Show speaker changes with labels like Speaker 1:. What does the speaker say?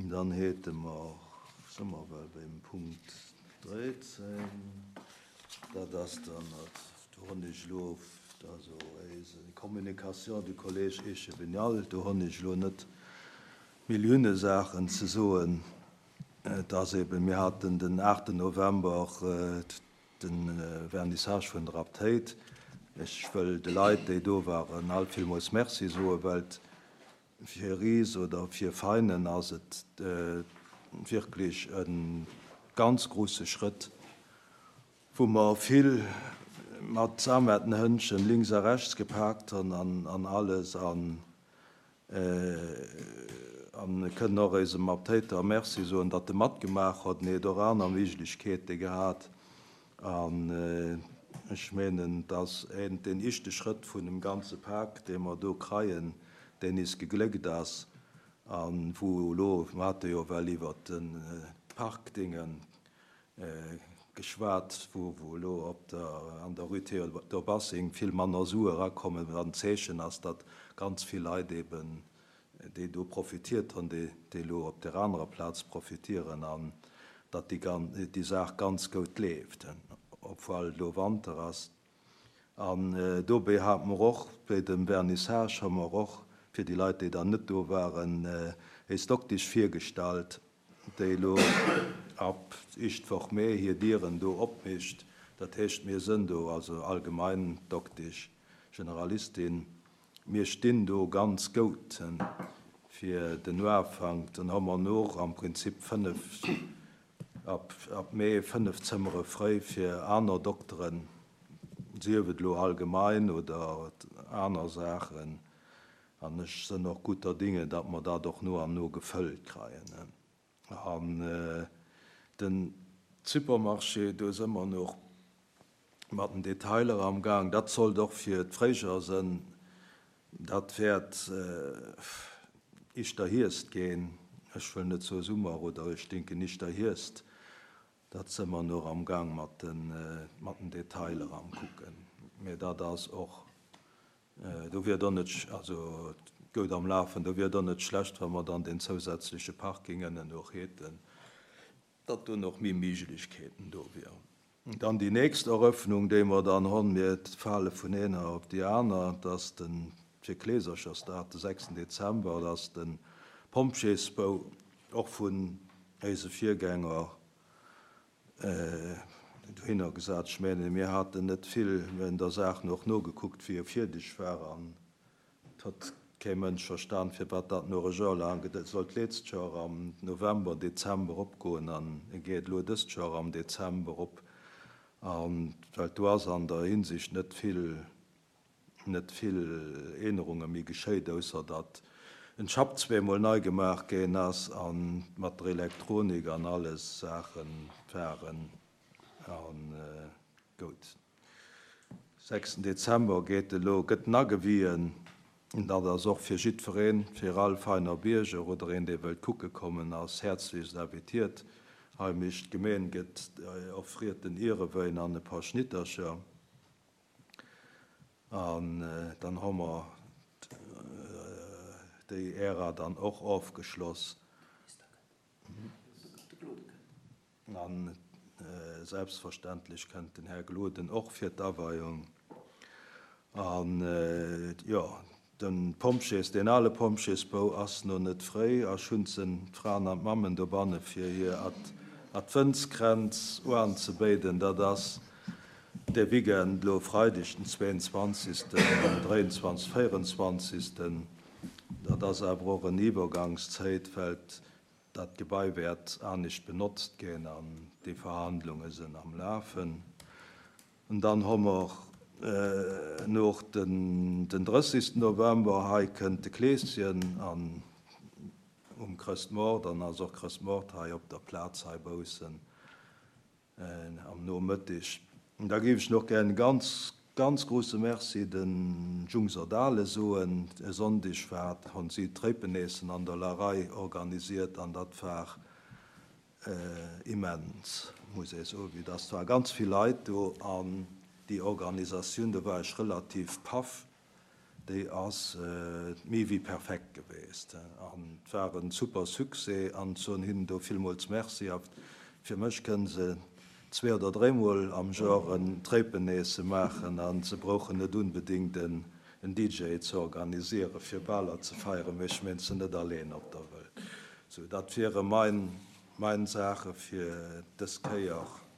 Speaker 1: Dann hate mer, si mer well beim Punkt 13, dat ass dann, do hunn ech elo, also eis Communication du Collège Echevignal, do hunn ech elo net Millioune Saachen ze soen. Et ass eben, mir haten den 8 November de Vernissage vun der Abtéit. Ech wëll de Leit, déi do waren, all villmools Merci soen, well fir Ris oder fir Veinen ass et wierklech e ganz grouse Schrëtt, wou mer vill mat Samettenhënnchen links a rechts gepaakt hunn an alles. An kënnen och eisem Aptéiter Merci soen, datt e matgemaach huet. En huet och aner Méiglechkeete gehat. An ech menen, et ass een deen ischte Schrëtt vun dem ganze Pak, dee mer do kreien, deen is gegléckt ass a wou elo, mer hate jo well iwwert de Parkdinge geschwat, wou wou elo op der, an der Rue Théodore Bassing vill manner Sue erakommen, wat en Zeechen ass, datt ganz vill Leit eben, déi do profitiert hunn, déi déi elo op där anerer Plaz profitieren an datt déi gan, déi Saach ganz goud leeft, obwuel elo Wanter ass. An dobäi hate mer och, bei dem Vernissage hu mer och, fir déi Leit, déi dann net do waren, éis Doktesch virgestallt, déi elo ab éischt Woch Mee hir Dieren do opmécht. Dat heescht, mir sënn do, also allgemein Doktesch, Generalistin, mir stinn do ganz goud fir den Uafank. Dann hu mer no am Prinzip 5, ab Mee 5 Zëmmere fréi fir aner Dokteren, sief et elo allgemein oder aner Saachen. An ech sënn och guter Dinge, datt mer dat och no an no gefëllt kreien. An den Supermarché, do së mer nach mat den Detailer am Gang. Dat sollt och fir d'Fréijoer sënn. Dat wäert ischter Hierscht ginn. Ech wëll net soe Summer oder ech denken ischter Hierscht. Dat së mer nach am Gang mat den Detailer am kucken. Mä dat ass och Do wier et och net, also goud am Lafen, do wier et och net schlecht, wa mer dann deen zousätzleche Parking ënnen och häten, datt do nach méi Méiglechkeeten do wieren. Dann déi nächst Eröffnung, déi mer dann honn, mir fale vun eener op déi aner, dat ass de fir Kleeserchersdag, de sechsten Dezember, dat ass de Pompjeesbou, och vun éise Virgänger Dohinner gesat. Ech mengen, mir haten net vill, mir hunn der Saach och nogekuckt, wéi e fierdeg war, an et huet kee Mënsch verstan, firwat dat no e Joer laang gedauert. Et sollt d'letzcht Joer am November, Dezember opgoen an e geet elo dëst Joer am Dezember op. A well do ass an der Hinsicht net vill net vill Eenerunge méi geschéit, ausser datt en Schapp zweemol nei gemaach géin ass an mat der Elektronik an alles Saachen waren an goud. Sechsten Dezember geet elo, gëtt en agewien, dat ass och fir jiddwereen, fir all feiner Bierger oder een dee wëllt kucke kommen ass häerzlechst invitiert. Hei mécht d'Gemeen gëtt offriert den Ierewéin an e paar Schnittercher. An dann hu mer déi Ära dann och ofgeschloss. A selbstverständlech kënnt den Här Gloden och fir d'Aweiung. An, jo, De Pompjees, deen ale Pompjeesbou ass no net fréi a schunzen d'Fraen an d'Mammen dobanne fir hir Adventskränz uanzebéiden. Dat ass dee Weekend elo, Freideg den 22., 23., 24. Dat ass awer och en Iwwergangszéit, well dat Gebai wäert anescht benotzt ginn an déi Verhandlunge sinn am Lafen. An dann hu mer noch den 30. November, hei kënnt de Kleeschen an um Chrëstmoart, dann ass och Chrëstmoart hei op der Plaz hei baussen am Nomëttig. Da géif ech nach gär en ganz, ganz grouse Merci de Jungs Erdale soen. E Sonndeg war, hunn si d'Tréipeneessen an der Larei organisiert an dat war Immens, muss ee soen, vue dass war ganz vill Leit do an déi Organisatioun, do war ech relativ paff. déi ass méi wéi perfekt geweest an et war en super Succès an soen hinnen do villmools Merci. A fir mech kënne se zwee oder dréimol am Joer en Tréipeneesse maachen a se brouchen net unbedingt en DJ ze organisieren fir Baler ze feieren, mee ech meen se net alleen op der Wëlt. Sou, dat wiere mein Saache fir dës Kéier.